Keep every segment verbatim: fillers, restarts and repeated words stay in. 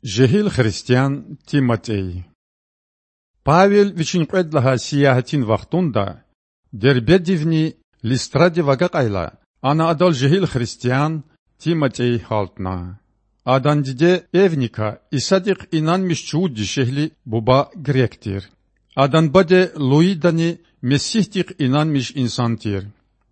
Жегьил христиан ТиматІей. Павел вичин кьвед лагьай сиягьатин вахтунда Дербедивни Листрадив агакьайла, ана адал жегьил христиан ТиматІей гьалтна. Адан диде Эвника Исадихъ инанмиш чувуд дишегьли буба грек тир. Адан баде Луидани Месигьдихъ инанмиш инсан тир.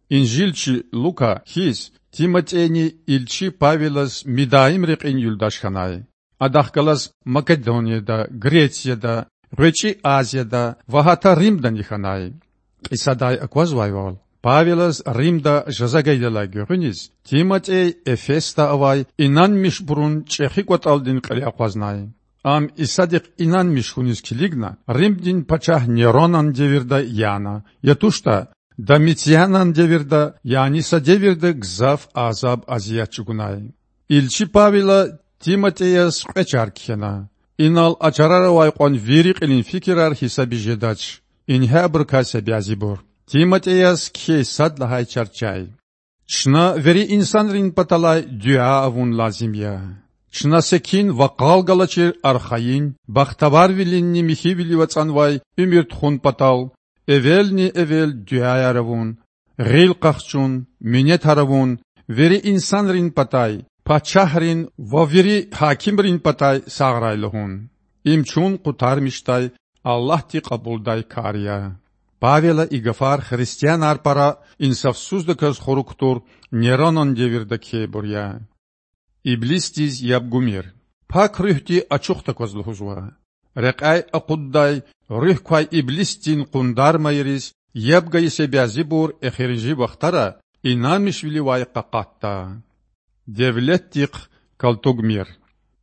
Инжилчи Лука хьиз, ТиматІейни илчи Павелаз мидаим рекьин юлдаш хьанай. Адахъ галаз Македонияда, Грецияда, ГъвечІи Азияда ва гьатта Римдани хьанай. Кьисадай аквазвайвал, Павелаз Римда жаза гайидалай гуьгъуьниз ТиматІей Эфесда авай инанмишбурун чІехи кІватІалдин кьиле акъвазнай. Ам Исадихъ инанмиш хьуниз килигна Римдин пачагь Неронан девирда яна, я туштІа, Домицианан девирда, яни са девирда гзаф азаб-азият чІугунай. Илчи Павела ТиматІеяз кьве чар кхьена. Инал а чарара авай кьван вири кьилин фикирар гьисабиз жедач. Ингье абурукай са бязибур. ТиматІеяз кхьей сад лагьай чар чай: Чна вири инсанрин паталай дуьа авун лазим я. Чна секин ва къал галачир архайин, бахтаварвилинни михьивилив ацІанвай уьмуьр тухун патал эвелни-эвел дуьаяр авун, гъил къахчун, минетар авун, вири инсанрин патай, пачагьрин ва вири гьакимрин патай сагърай лугьун. Им чун къутармишдай, Аллагьди кьабулдай кар я. Павела и гафар христианар пара инсафсуздаказ хурук тур Неронан девирда кхьейбур я. Иблисдиз яб гумир. Пак Руьгьди ачух такваз лугьузва: Рекьяй акъуддай, руьгь квай иблисдин къундармайриз яб гайи са бязибур эхиримжи вахтара инанмишвиливай къакъатда. Девлетдихъ калтугмир.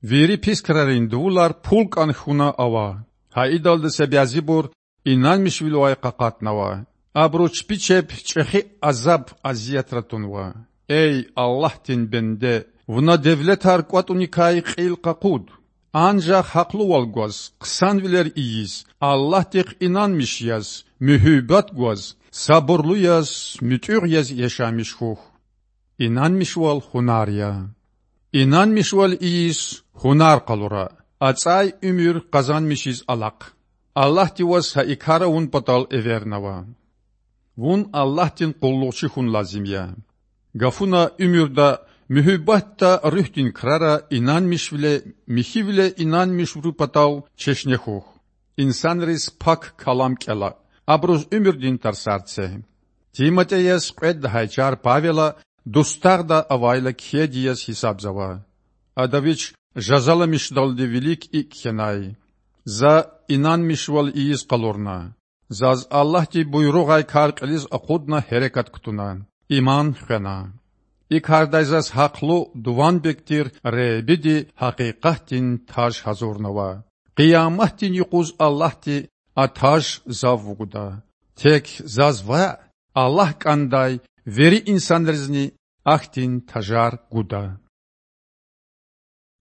Вири пис крарин дувулар пул кІан хьуна ава. Гьа идалди са бязибур инанмишвиливай къакъатнава. Абуру чпи чеб чІехи азаб-азиятра тунва. Эй Аллагьдин бенде, вуна девлетар кІватІуникай кьил къакъуд. Анжах гьахълувал гваз, хъсанвилер ийиз, Аллагьдихъ инанмиш яз, муьгьуьббат гваз, сабурлу яз, муьтІуьгъ яз яшамиш хьухь. Инанмишвал гьунар я. Инанмишвал ийиз гьунар къалура, ацІай уьмуьр къазанмишиз алахъ. Аллагьди ваз гьа и кар авун патал эвернава. Вун Аллагьдин къуллугъчи хьун лазим я. Гафуна, уьмуьрда, муьгьуьббатда, руьгьдин крара инанмишвиле, михьивиле инанмишбурун патал чешне хьухь. Инсанриз Пак Калам кІела, абуруз уьмуьрдин тарсар це. ТиматІеяз кьвед лагьай чар Павела дустагъда авайла кхьейди яз гьисабзава. Ада вич жазаламишдалди вилик икІ кхьенай: За инанмишвал ийиз къалурна. Заз Аллагьди буйругъай кар кьилиз акъудна гьерекат кутуна, иман хвена. И кардай заз гьахълу, дуванбег тир Худади гьакъикъатдин таж гьазурнава. Къияматдин юкъуз Аллагьди а таж зав вугуда. Тек заз ваъ, Аллагь кІандай вири инсанризни ахьтин тажар гуда.